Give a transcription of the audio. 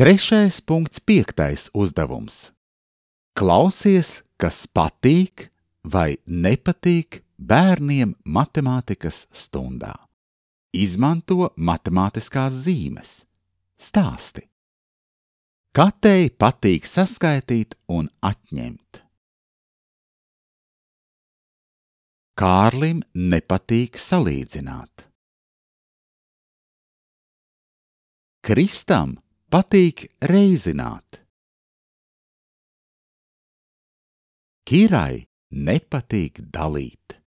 3.5. uzdevums. Klausies, kas patīk vai nepatīk bērniem matemātikas stundā. Izmanto matemātiskās zīmes. Stāsti. Katei patīk saskaitīt un atņemt. Kārlim nepatīk salīdzināt. Kristam patīk reizināt. Kirai nepatīk dalīt.